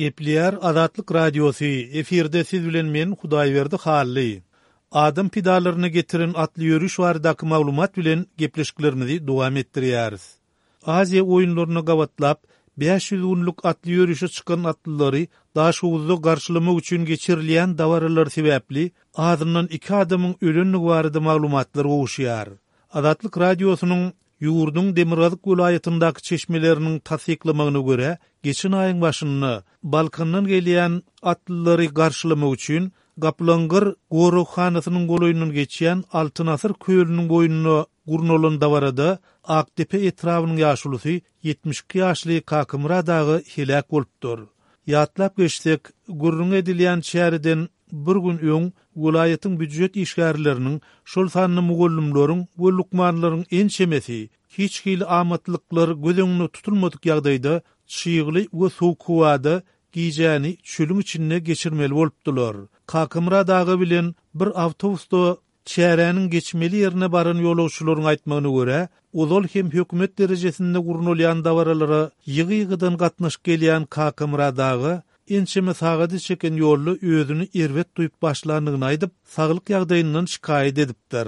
Gepleýär Azatlyk Radiosy, efirde siz bilen men Hudaýberdi Hally. Adam pidalaryna getiren atly ýöriş baradaky maglumat bilen gepleşiklerimizi dowam etdirýäris. Aziýa oýunlaryna gabatlap, 500 günlük atly ýörişe çykan atlylary Daşhowuzda garşylamak üçin geçirilýän dabaralar sebäpli azyndan iki adamyň ölendigi barada maglumatlar gowuşýar. Azatlyk Radiosynyň Ýurduň demirgazyk welaýatyndaky çeşmeleriniň tassyklamagyna görä, geçen aýyň başynda Balkandan gelýän atlylary garşylamak üçin Gaplaňgyr goraghanasynyň golaýyndan geçýän Altyn asyr kölüniň boýunda gurnalan dabarada Akdepe etrabynyň ýaşulusy 72 ýaşly Kakamyrat aga heläk bolupdyr. Ýatlap geçsek, gürrüňi edilýän çäreden bir gün öň welaýatyň býujet işgärleriniň, şol sanda mugallymlaryň we lukmanlaryň ençemesi hiç hili amatlyklar göz öňünde tutulmadyk ýagdaýda çygly we sowuk howada gijäni çölüň içinde geçirmeli bolupdylar. Kakamyrat aga bilen bir awtobusda Çäräniň geçmeli ýerine baran ýolagçylaryň aýtmagyna görä, ozal hem hökümet derejesinde gurnalýan dabaralara ýygy-ýygydan gatnaşyp gelýän Kakamyrat aga ençeme sagady çeken ýolda özüni erbet duýup başlandygyny aýdyp, saglyk ýagdaýyndan şikaýat edipdir.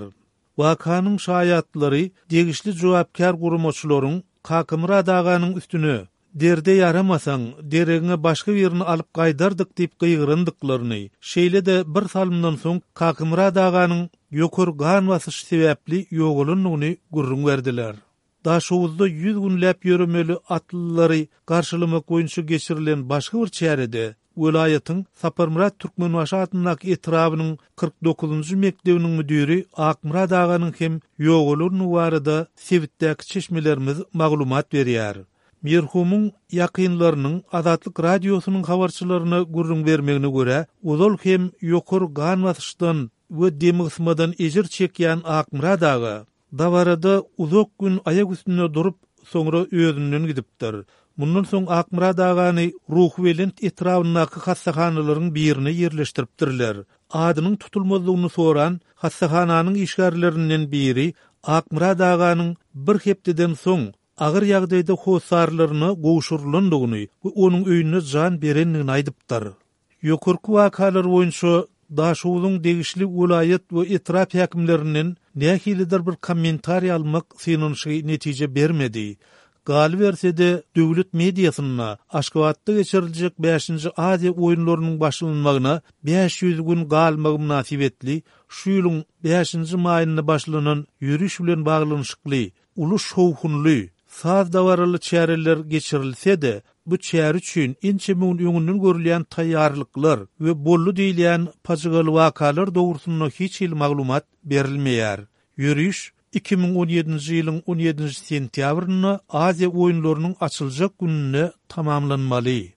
Wakanyň şaýatlary degişli jogapkär guramaçylaryň Kakamyrat aganyň üstüne Derde ýaramasaň, deregiňe başga birini alyp gaýdardyk diýip gygyrandyklaryny, şeýle-de bir salymdan soň Kakymyrat aganyň ýokary gan basyşy sebäpli ýogalandygyny gürrüň berdiler. Daşhowuzda 100 günläp ýöremeli atlylary garşylamak boýunça geçirilen başga bir çärede welaýatyň Saparmyrat Türkmenbaşy adyndaky etrabynyň 49-njy mekdebiniň müdiri Akmyrat aganyň hem ýogalandygy barada sebitdäki çeşmelerimiz maglumat berýär. Merhumyň ýakynlarynyň Azatlyk Radiosynyň habarçylaryna gürrüň bermegine görä, ozal hem ýokary gan basyşdan we demgysmadan ejir çekýän Akmyrat aga dabarada uzak gün aýak üstünde durup, soňra özünden gidipdir. Mundan soň Akmyrat agany Ruhubelent etrabyndaky hassahanalaryň birine ýerleşdiripdirler. Adynyň tutulmazlygyny soran hassahananyň işgärlerinden biri Akmyrat aganyň bir hepdeden soň agyr ýagdaýda hossarlaryna gowşurylandygyny we onuň öýünde jan berendigini aýdypdyr. Ýokarky wakalar boýunça Daşhowzuň degişli welaýat we etrap häkimlerinden nähilidir bir kommentariý almak synanyşygy netije bermedi. Galyberse-de, döwlet mediasynda Aşgabatda geçiriljek bäşinji Aziýa oýunlarynyň başlanmagyna 500 gün galmagy mynasybetli şu ýylyň bäşinji maýynda başlanan ýöriş bilen baglanyşykly Uly şowhunly, saz dabaraly çäreler geçirilse-de, bu çäre üçin ençeme gün öňünden görülýän taýýarlyklar we boldy diýilýän pajygaly wakalar dogrusynda hiç hili maglumat berilmeýär. Ýöriş 2017-nji ýylyň on ýedinji sentýabrynda Aziýa oýunlarynyň açyljak gününde tamamlanmaly.